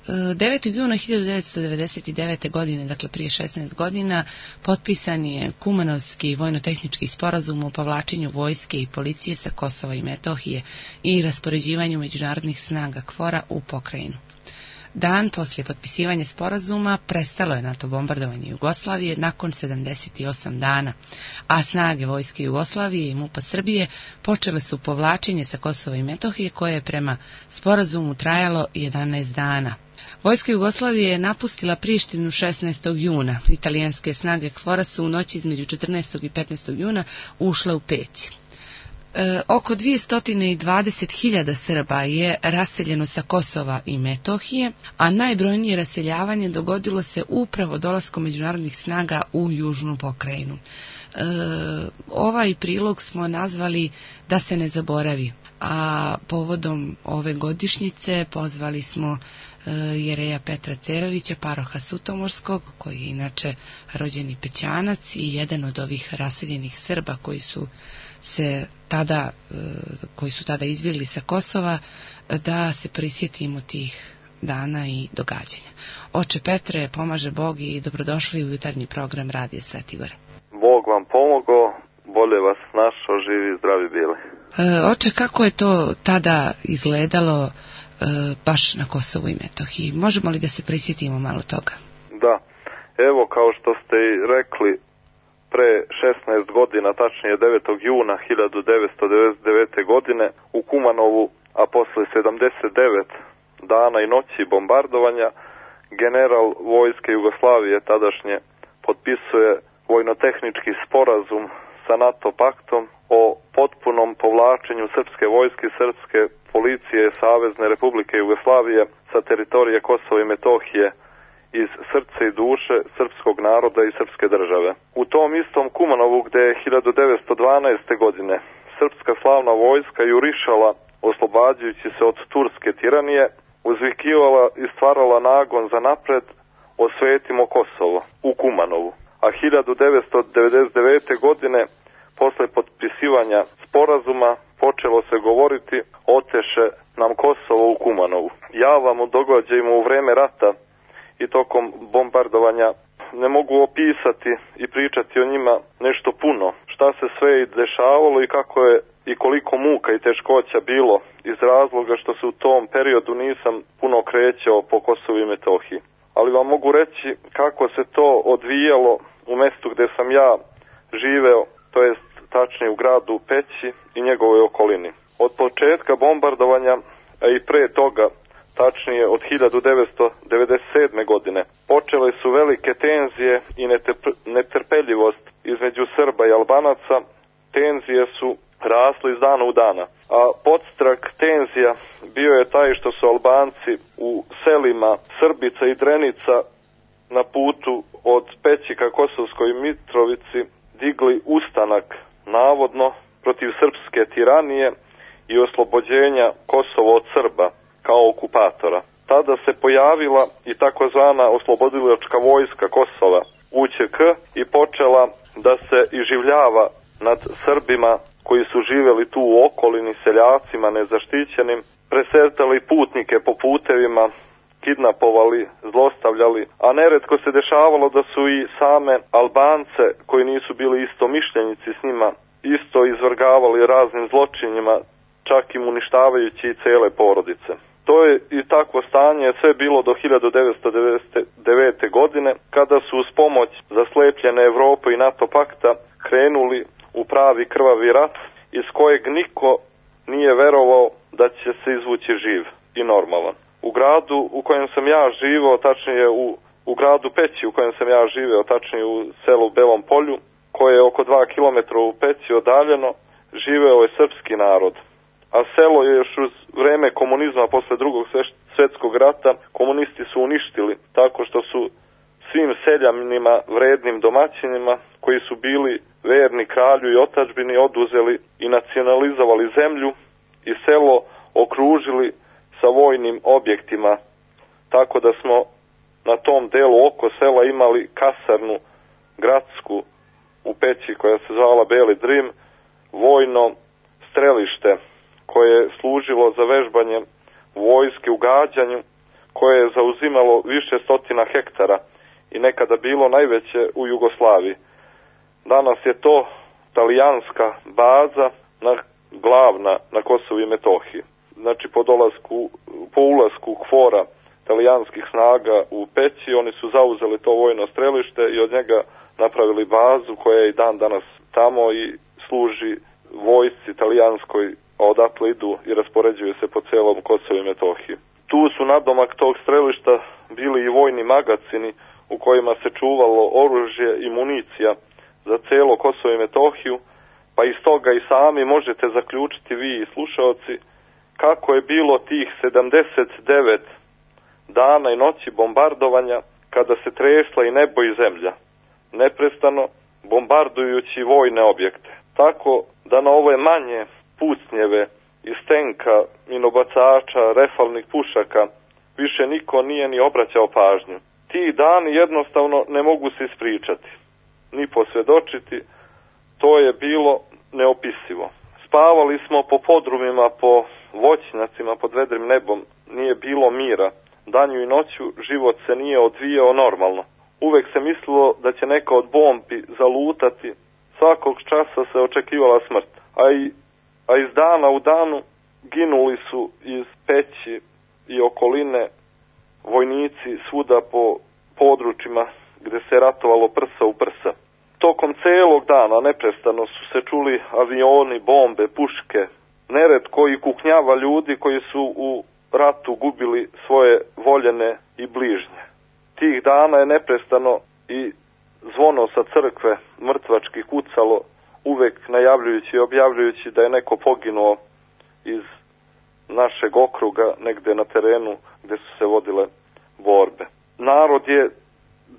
9. juna 1999. godine, dakle prije 16 godina, potpisan je Kumanovski vojno-tehnički sporazum o povlačenju vojske i policije sa Kosova i Metohije i raspoređivanju međunarodnih snaga KFOR-a u pokrajinu. Dan poslije potpisivanja sporazuma prestalo je NATO bombardovanje Jugoslavije nakon 78 dana, a snage vojske Jugoslavije i MUP-a Srbije počele su povlačenje sa Kosova i Metohije koje je prema sporazumu trajalo 11 dana. Vojska Jugoslavije je napustila Prištinu 16. juna. Italijanske snage KFOR-a su u noći između 14. i 15. juna ušle u Peć. Oko 220.000 Srba je raseljeno sa Kosova i Metohije, a najbrojnije raseljavanje dogodilo se upravo dolaskom međunarodnih snaga u južnu pokrajinu. Ovaj prilog smo nazvali Da se ne zaboravi, a povodom ove godišnjice pozvali smo jereja Petra Cerovića, paroha Sutomorskog, koji je inače rođeni Pećanac i jedan od ovih raseljenih Srba koji su tada izbjegli sa Kosova, da se prisjetimo tih dana i događanja. Oče Petre, pomaže Bog i dobrodošli u jutarnji program Radija Sveti Gor. Bog vam pomogao, bolje vas našao, živi i zdravi bili. Oče, kako je to tada izgledalo baš na Kosovu i Metohiji? Možemo li da se prisjetimo malo toga? Da, evo kao što ste i rekli, pre 16 godina, tačnije 9. juna 1999. godine u Kumanovu, a posle 79 dana i noći bombardovanja, general vojske Jugoslavije tadašnje potpisuje vojno-tehnički sporazum sa NATO paktom o potpunom povlačenju srpske vojske i srpske policije Savezne Republike Jugoslavije sa teritorije Kosova i Metohije iz srce i duše srpskog naroda i srpske države. U tom istom Kumanovu, gde je 1912. godine srpska slavna vojska jurišala, oslobađajući se od turske tiranije, uzvikivala i stvarala nagon za napred: osvetimo Kosovo u Kumanovu. A 1999. godine, posle potpisivanja sporazuma, počelo se govoriti: oteše nam Kosovo u Kumanovu. Ja vam o događajima u vreme rata i tokom bombardovanja ne mogu opisati i pričati o njima nešto puno. Šta se sve i dešavalo i kako je i koliko muka i teškoća bilo, iz razloga što se u tom periodu nisam puno krećao po Kosovu i Metohiji. Ali vam mogu reći kako se to odvijalo u mestu gde sam ja živeo, to jest tačnije u gradu Peći i njegovoj okolini. Od početka bombardovanja, a i pre toga, tačnije od 1997. godine, počele su velike tenzije i netrpeljivost između Srba i Albanaca. Tenzije su rasle iz dana u dana, a podstrak tenzija bio je taj što su Albanci u selima Srbica i Drenica na putu od Peći ka Kosovskoj Mitrovici digli ustanak, navodno protiv srpske tiranije i oslobođenja Kosova od Srba kao okupatora. Tada se pojavila i takozvana oslobodilačka vojska Kosova, UČK, i počela da se iživljava nad Srbima koji su živjeli tu u okolini, seljacima nezaštićenim, presetali putnike po putevima, kidnapovali, zlostavljali, a neretko se dešavalo da su i same Albance, koji nisu bili istomišljenici s njima, isto izvrgavali raznim zločinima, čak i uništavajući i cele porodice. To je i takvo stanje sve bilo do 1999. godine, kada su uz pomoć zaslepljene Evrope i NATO pakta krenuli u pravi krvavi rat, iz kojeg niko nije verovao da će se izvući živ i normalan. U gradu u kojem sam ja živeo, tačnije u gradu Peći u kojem sam ja živeo, tačnije u selu Belom Polju, koje je oko 2 km u Peći odaljeno, živeo je srpski narod. A selo je još uz vreme komunizma, posle Drugog svjetskog rata, komunisti su uništili tako što su svim seljanima, vrednim domaćinima, koji su bili verni kralju i otadžbini, oduzeli i nacionalizovali zemlju i selo okružili sa vojnim objektima, tako da smo na tom delu oko sela imali kasarnu gradsku u Peći koja se zvala Beli Drim, vojno strelište koje je služilo za vežbanje vojske u gađanju, koje je zauzimalo više stotina hektara i nekada bilo najveće u Jugoslaviji. Danas je to talijanska baza glavna na Kosovu i Metohiji. Znači po ulasku KFOR-a talijanskih snaga u Peći, oni su zauzeli to vojno strelište i od njega napravili bazu koja je i dan danas tamo i služi vojsci talijanskoj, a odatle idu i raspoređuju se po celom Kosovu i Metohiji. Tu su nadomak tog strelišta bili i vojni magacini u kojima se čuvalo oružje i municija za celo Kosovo i Metohiju, pa iz toga i sami možete zaključiti vi i slušaoci kako je bilo tih 79 dana i noći bombardovanja kada se tresla i nebo i zemlja, neprestano bombardujući vojne objekte. Tako da na ove manje pucnjeve iz tenka, minobacača, refalnih pušaka više niko nije ni obraćao pažnju. Ti dani jednostavno ne mogu se ispričati, ni posvjedočiti, to je bilo neopisivo. Spavali smo po podrumima, po voćnjacima, pod vedrim nebom, nije bilo mira. Danju i noću život se nije odvijao normalno. Uvek se mislilo da će neka od bombi zalutati, svakog časa se očekivala smrt. A iz dana u danu ginuli su iz Peći i okoline vojnici svuda po područjima gde se ratovalo prsa u prsa. Tokom celog dana neprestano su se čuli avioni, bombe, puške, neretko i kuknjava ljudi koji su u ratu gubili svoje voljene i bližnje. Tih dana je neprestano i zvono sa crkve mrtvački kucalo, uvek najavljujući i objavljujući da je neko poginuo iz našeg okruga negde na terenu gde su se vodile borbe. Narod je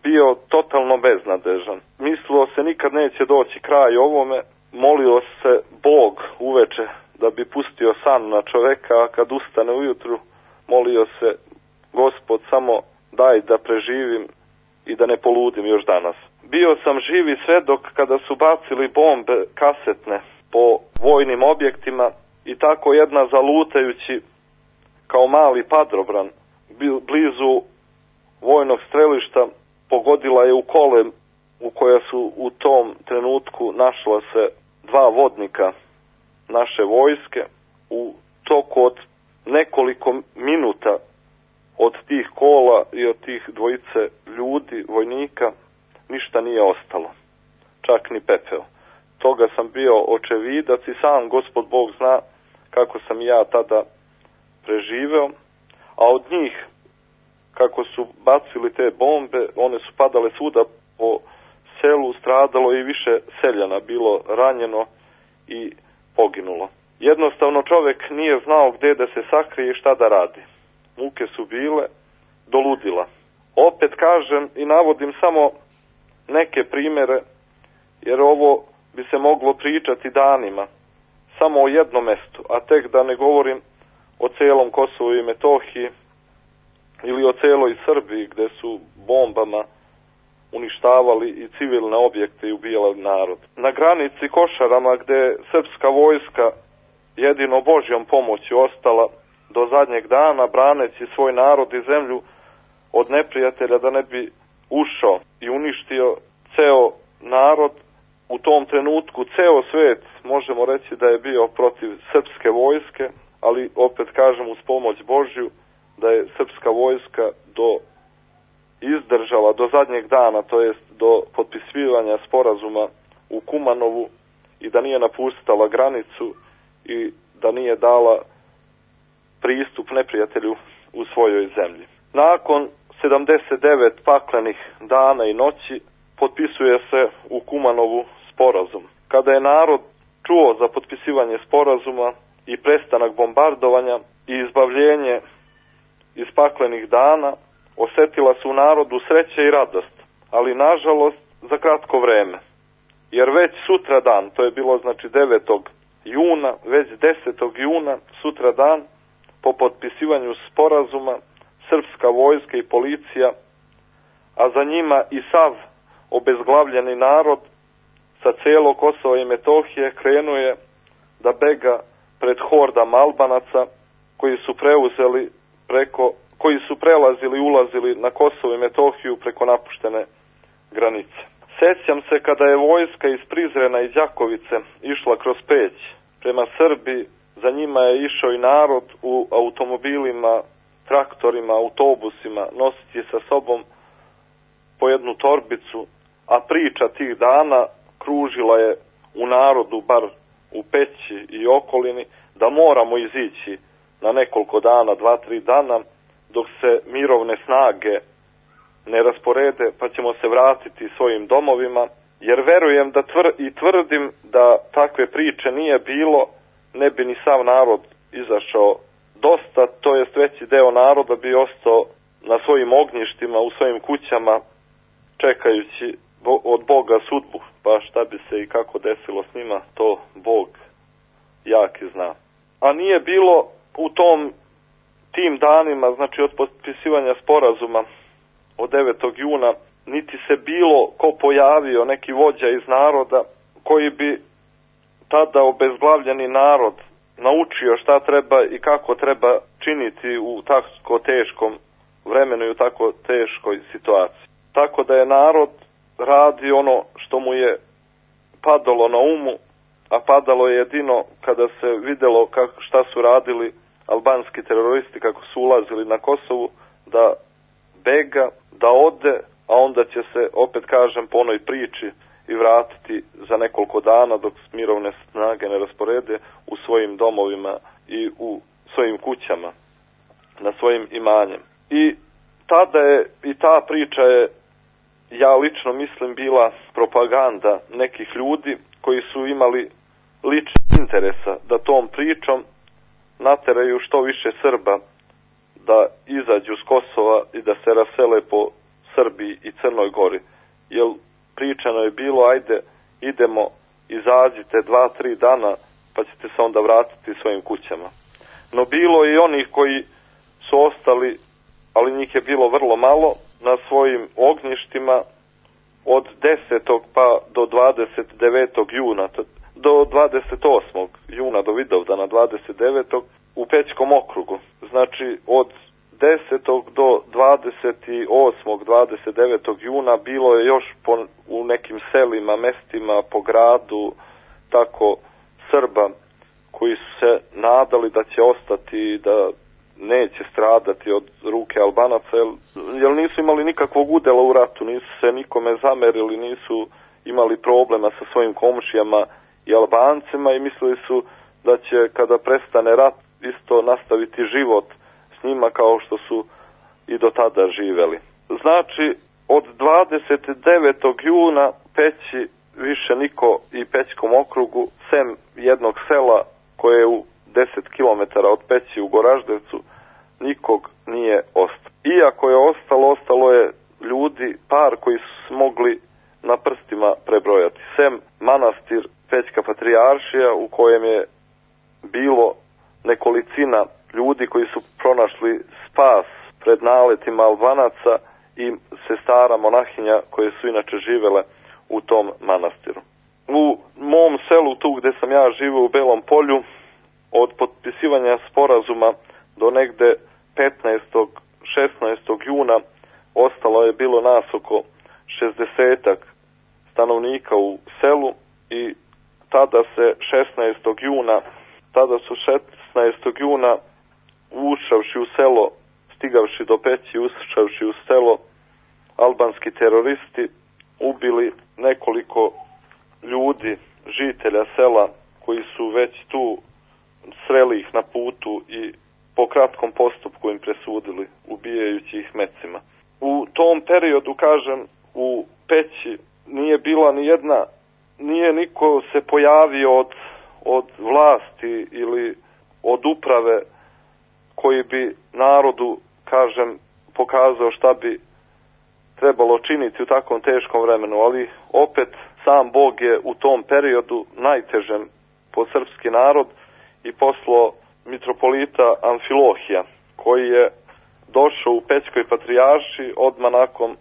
bio totalno beznadežan. Mislilo se nikad neće doći kraj ovome, molio se Bog uveče da bi pustio san na čoveka, a kad ustane ujutru molio se Gospod samo daj da preživim i da ne poludim još danas. Bio sam živi svedok kada su bacili bombe kasetne po vojnim objektima i tako jedna zalutajući kao mali padobran blizu vojnog strelišta pogodila je u kole u koja su u tom trenutku našla se dva vodnika naše vojske. U toku od nekoliko minuta od tih kola i od tih dvojice ljudi, vojnika, ništa nije ostalo, čak ni pepeo. Toga sam bio očevidac i sam Gospod Bog zna kako sam ja tada preživeo, a od njih, kako su bacili te bombe, one su padale svuda po selu, stradalo i više seljana, bilo ranjeno i poginulo. Jednostavno čovjek nije znao gdje da se sakrije i šta da radi. Muke su bile do ludila. Opet kažem i navodim samo neke primjere, jer ovo bi se moglo pričati danima, samo o jednom mestu, a tek da ne govorim o celom Kosovu i Metohiji ili o celoj Srbiji gde su bombama uništavali i civilne objekte i ubijali narod. Na granici Košarama gde srpska vojska jedino Božjom pomoći ostala do zadnjeg dana braneći svoj narod i zemlju od neprijatelja da ne bi ušao i uništio ceo narod. U tom trenutku ceo svet možemo reći da je bio protiv srpske vojske, ali opet kažem uz pomoć Božju da je srpska vojska izdržala do zadnjeg dana, to jest do potpisivanja sporazuma u Kumanovu i da nije napustala granicu i da nije dala pristup neprijatelju u svojoj zemlji. Nakon 79 paklenih dana i noći potpisuje se u Kumanovu sporazum. Kada je narod čuo za potpisivanje sporazuma i prestanak bombardovanja i izbavljenje iz paklenih dana, osetila su u narodu sreće i radost, ali nažalost za kratko vreme. Jer već sutra dan, to je bilo znači 9. juna, već 10. juna, sutra dan, po potpisivanju sporazuma, srpska vojska i policija, a za njima i sav obezglavljeni narod sa cijelo Kosova i Metohije krenuje da bega pred hordama Albanaca koji su preuzeli preko koji su prelazili i ulazili na Kosovo i Metohiju preko napuštene granice. Sećam se kada je vojska iz Prizrena i Đakovice išla kroz Peć prema Srbiji, za njima je išao i narod u automobilima, traktorima, autobusima, nositi sa sobom po jednu torbicu, a priča tih dana kružila je u narodu, bar u Peći i okolini, da moramo izići na nekoliko dana, 2-3 dana, dok se mirovne snage ne rasporede, pa ćemo se vratiti svojim domovima, jer verujem da tvrdim da takve priče nije bilo, ne bi ni sav narod izašao dosta, to jest veći deo naroda bi ostao na svojim ognjištima, u svojim kućama, čekajući od Boga sudbu, pa šta bi se i kako desilo s njima, to Bog jaki zna. A nije bilo u tim danima, znači od potpisivanja sporazuma od 9. juna, niti se bilo ko pojavio, neki vođa iz naroda, koji bi tada obezglavljeni narod naučio šta treba i kako treba činiti u tako teškom vremenu i u tako teškoj situaciji. Tako da je narod radi ono što mu je padalo na umu, a padalo je jedino kada se videlo šta su radili albanski teroristi, kako su ulazili na Kosovu, da bega, da ode, a onda će se, opet kažem, po onoj priči i vratiti za nekoliko dana dok mirovne snage ne rasporede u svojim domovima i u svojim kućama, na svojim imanjem. I tada je, i ta priča je, ja lično mislim, bila propaganda nekih ljudi koji su imali lični interesa da tom pričom nateraju što više Srba da izađu s Kosova i da se rasele po Srbiji i Crnoj Gori. Jer pričano je bilo, ajde, idemo, izađite 2-3 dana, pa ćete se onda vratiti svojim kućama. No bilo je i onih koji su ostali, ali njih je bilo vrlo malo, na svojim ognjištima od 10. pa do 29. juna, do 28. juna do Vidovdana 29. u Pećkom okrugu. Znači od 10. do 28. 29. juna bilo je još u nekim selima, mestima, po gradu, tako Srba koji su se nadali da će ostati, da neće stradati od ruke Albanaca, jer nisu imali nikakvog udela u ratu, nisu se nikome zamerili, nisu imali problema sa svojim komšijama i Albancima i mislili su da će kada prestane rat isto nastaviti život s njima kao što su i do tada živeli. Znači, od 29. juna Peći više niko i Pećkom okrugu, sem jednog sela koje je u 10 km od Peći u Goraždevcu, nikog nije ostalo. Iako je ostalo je ljudi, par koji su mogli na prstima prebrojati. Sem manastir Pećka Patrijaršija u kojem je bilo nekolicina ljudi koji su pronašli spas pred naletima Albanaca i sestara monahinja koje su inače živele u tom manastiru. U mom selu, tu gde sam ja živio u Belom Polju, od potpisivanja sporazuma do negde 15. 16. juna ostalo je bilo nas oko 60-ak stanovnika u selu i tada su 16. juna ušavši u selo, stigavši do Peći, ušavši u selo, albanski teroristi ubili nekoliko ljudi, žitelja sela, koji su već tu sreli ih na putu i po kratkom postupku im presudili, ubijajući ih mecima. U tom periodu, kažem, u Peći nije bila ni jedna, nije niko se pojavio od vlasti ili od uprave koji bi narodu, kažem, pokazao šta bi trebalo činiti u takvom teškom vremenu, ali opet sam Bog je u tom periodu najtežem po srpski narod i poslao mitropolita Amfilohija, koji je došao u Pećkoj Patrijaršiji odmah nakon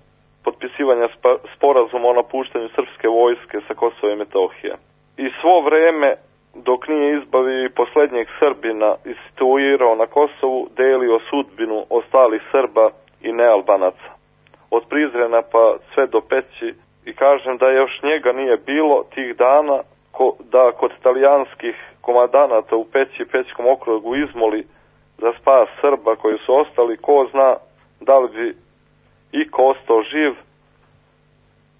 potpisivanja sporazuma o napuštanju srpske vojske sa Kosova i Metohije. I svo vreme dok nije izbavio i posljednjeg Srbina i situirao na Kosovu, delio sudbinu ostalih Srba i nealbanaca. Od Prizrena pa sve do Peći, i kažem da još njega nije bilo tih dana, da kod talijanskih komandanata u Peći i Pećkom okrugu izmoli za spas Srba koji su ostali, ko zna da li bi iko ostao živ,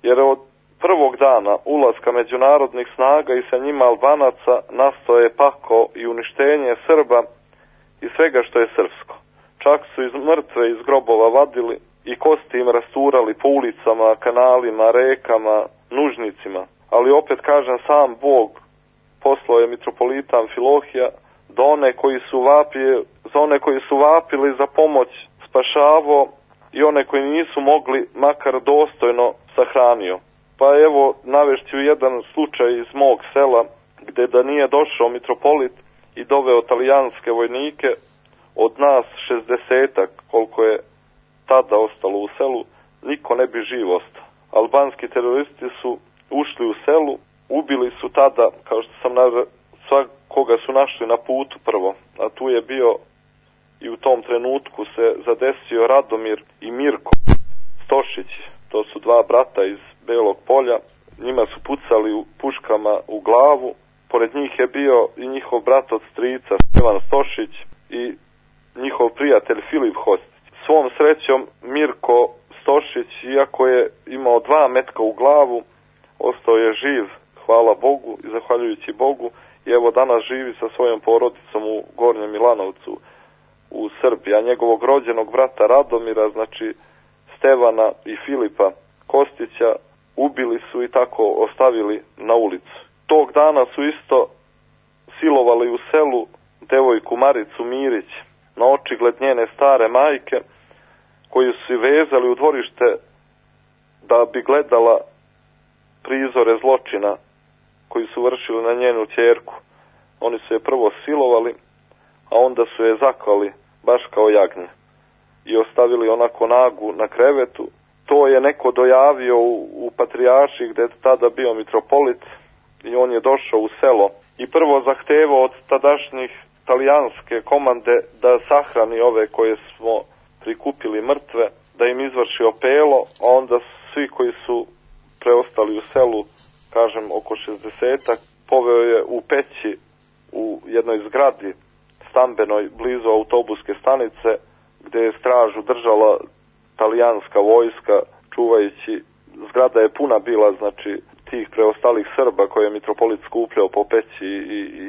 jer od prvog dana ulaska međunarodnih snaga i sa njima Albanaca nastao je pakao i uništenje Srba i svega što je srpsko. Čak su iz mrtve iz grobova vadili i kosti im rasturali po ulicama, kanalima, rekama, nužnicima. Ali opet kažem, sam Bog poslao je mitropolita Amfilohija za one koji su vapili za pomoć spašavao i one koji nisu mogli makar dostojno sahranio. Pa evo, navešću jedan slučaj iz mog sela, gde da nije došao mitropolit i doveo talijanske vojnike, od nas 60-ak, koliko je tada ostalo u selu, niko ne bi živ ostao. Albanski teroristi su ušli u selu, ubili su tada, kao što sam svakoga su našli na putu prvo, a tu je bio i u tom trenutku se zadesio Radomir i Mirko Stošić, to su dva brata iz Belog Polja, njima su pucali u puškama u glavu, pored njih je bio i njihov brat od strica Stevan Stošić i njihov prijatelj Filip Hostić. Svom srećom Mirko Stošić, iako je imao 2 metka u glavu, ostao je živ, hvala Bogu i zahvaljujući Bogu, i evo danas živi sa svojom porodicom u Gornjem Milanovcu u Srbiji, a njegovog rođenog brata Radomira, znači Stevana i Filipa Kostića, ubili su i tako ostavili na ulicu. Tog dana su isto silovali u selu devojku Maricu Mirić, na očigled njene stare majke, koju su vezali u dvorište da bi gledala prizore zločina koji su vršili na njenu ćerku. Oni su je prvo silovali, a onda su je zaklali baš kao jagnje i ostavili onako nagu na krevetu. To je neko dojavio u Patrijaršiji, gde je tada bio mitropolit, i on je došao u selo i prvo zahtevao od tadašnjih talijanske komande da sahrani ove koje smo prikupili mrtve, da im izvrši opelo, a onda svi koji su preostali u selu, kažem oko 60-ak, poveo je u Peći u jednoj zgradi stambenoj blizu autobuske stanice, gde je stražu držala talijanska vojska, čuvajući. Zgrada je puna bila, znači, tih preostalih Srba koje je mitropolit skupljao po Peći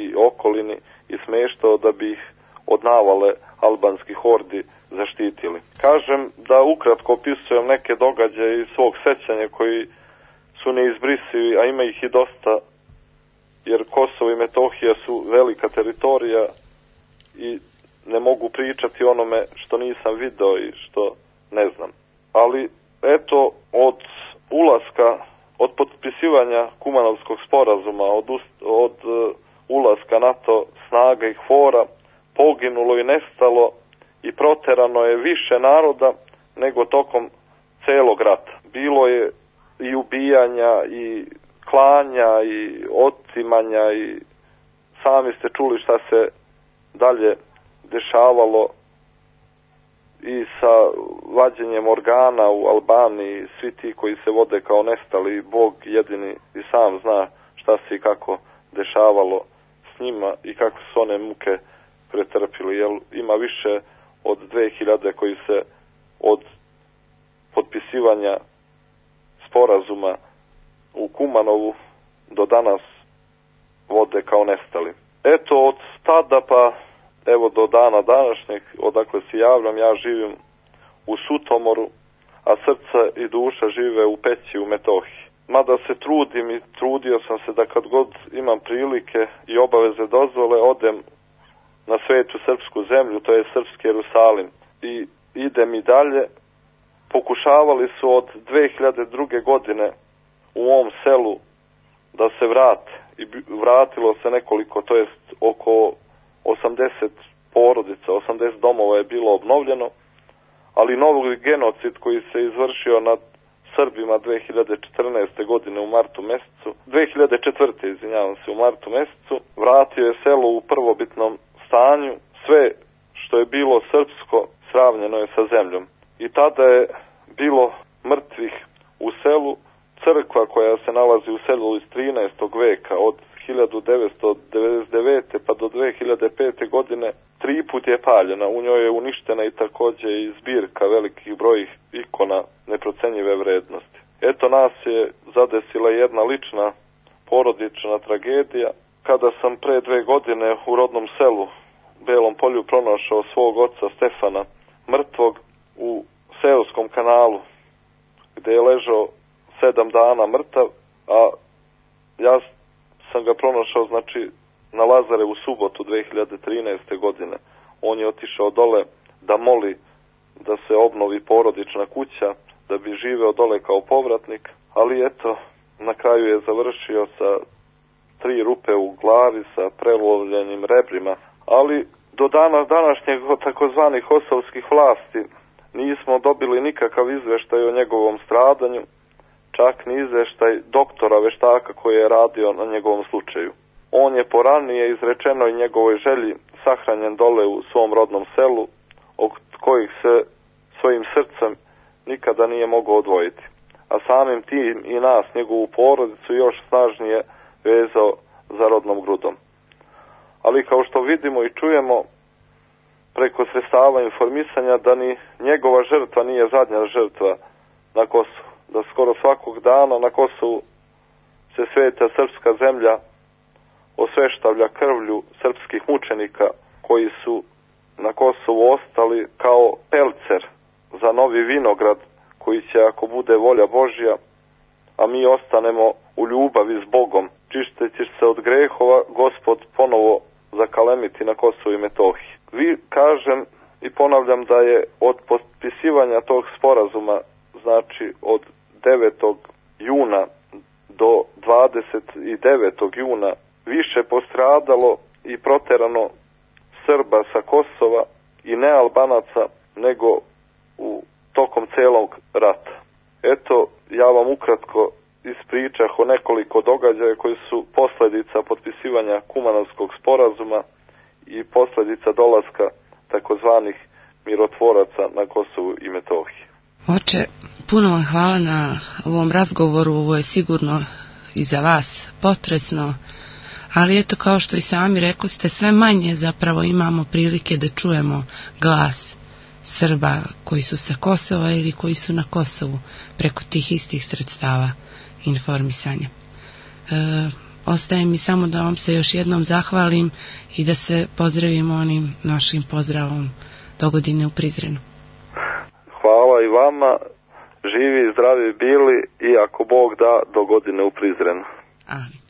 i okolini i smeštao da bi ih od navale albanskih hordi zaštitili. Kažem da ukratko opisujem neke događaje iz svog sećanja koji su neizbrisivi, a ima ih i dosta, jer Kosovo i Metohija su velika teritorija i ne mogu pričati onome što nisam video i što ne znam. Ali eto, od ulaska, od potpisivanja Kumanovskog sporazuma, od ulaska NATO snaga i KFOR-a, poginulo i nestalo i proterano je više naroda nego tokom celog rata. Bilo je i ubijanja i klanja i otimanja i sami ste čuli šta se dalje dešavalo i sa vađenjem organa u Albaniji, svi ti koji se vode kao nestali, Bog jedini i sam zna šta se i kako dešavalo s njima i kako su one muke pretrpili, jer ima više od 2000 koji se od potpisivanja sporazuma u Kumanovu do danas vode kao nestali. Eto, od tada pa evo do dana današnjeg, odakle se javljam, ja živim u Sutomoru, a srce i duša žive u Peći u Metohiji. Mada se trudim i trudio sam se da kad god imam prilike i obaveze dozvole, odem na svetu srpsku zemlju, to je srpski Jerusalim, i idem i dalje. Pokušavali su od 2002. godine u ovom selu da se vrate i vratilo se nekoliko, to jest oko 80 porodica, 80 domova je bilo obnovljeno, ali novi genocid koji se izvršio nad Srbima 2014. godine u martu mesecu, 2004. izvinjavam se, u martu mesecu, vratio je selo u prvobitnom stanju, sve što je bilo srpsko sravnjeno je sa zemljom. I tada je bilo mrtvih u selu, crkva koja se nalazi u selu iz 13. veka, od 1999. pa do 2005. godine 3 put je paljena. U njoj je uništena i također i zbirka velikih brojih ikona neprocenjive vrednosti. Eto, nas je zadesila jedna lična porodična tragedija. Kada sam pre 2 godine u rodnom selu Belom Polju pronašao svog oca Stefana mrtvog u seoskom kanalu, gdje je ležao 7 dana mrtav, a ja sam ga pronašao, znači, na Lazarevu subotu 2013. godine. On je otišao dole da moli da se obnovi porodična kuća, da bi živeo dole kao povratnik, ali eto, na kraju je završio sa 3 rupe u glavi, sa prelovljenim rebrima, ali do dana današnjeg od takozvanih kosovskih vlasti nismo dobili nikakav izveštaj o njegovom stradanju, čak ni izveštaj doktora veštaka koji je radio na njegovom slučaju. On je po ranije izrečenoj njegovoj želji sahranjen dole u svom rodnom selu, od kojih se svojim srcem nikada nije mogao odvojiti. A samim tim i nas, njegovu porodicu, još snažnije vezao za rodnom grudom. Ali kao što vidimo i čujemo preko sredstava informisanja, da ni njegova žrtva nije zadnja žrtva na Kosovu. Da skoro svakog dana na Kosovu se sveta srpska zemlja osveštavlja krvlju srpskih mučenika koji su na Kosovu ostali kao pelcer za novi vinograd koji će, ako bude volja Božja, a mi ostanemo u ljubavi s Bogom, čisteći se od grehova, Gospod ponovo zakalemiti na Kosovu i Metohiji. Vi, kažem i ponavljam, da je od potpisivanja tog sporazuma, znači od 9. juna do 29. juna, više postradalo i proterano Srba sa Kosova i nealbanaca nego u tokom celog rata. Eto, ja vam ukratko ispričah o nekoliko događaja koji su posljedica potpisivanja Kumanovskog sporazuma i posljedica dolaska takozvanih mirotvoraca na Kosovu i Metohiji. Oče, puno vam hvala na ovom razgovoru, ovo je sigurno i za vas potresno, ali eto, kao što i sami rekli ste, sve manje zapravo imamo prilike da čujemo glas Srba koji su sa Kosova ili koji su na Kosovu preko tih istih sredstava informisanja. Ostaje mi samo da vam se još jednom zahvalim i da se pozdravimo onim našim pozdravom dogodine u Prizrenu. Hvala i vama, živi i zdravi bili i ako Bog da, dogodine u Prizrenu. Amin.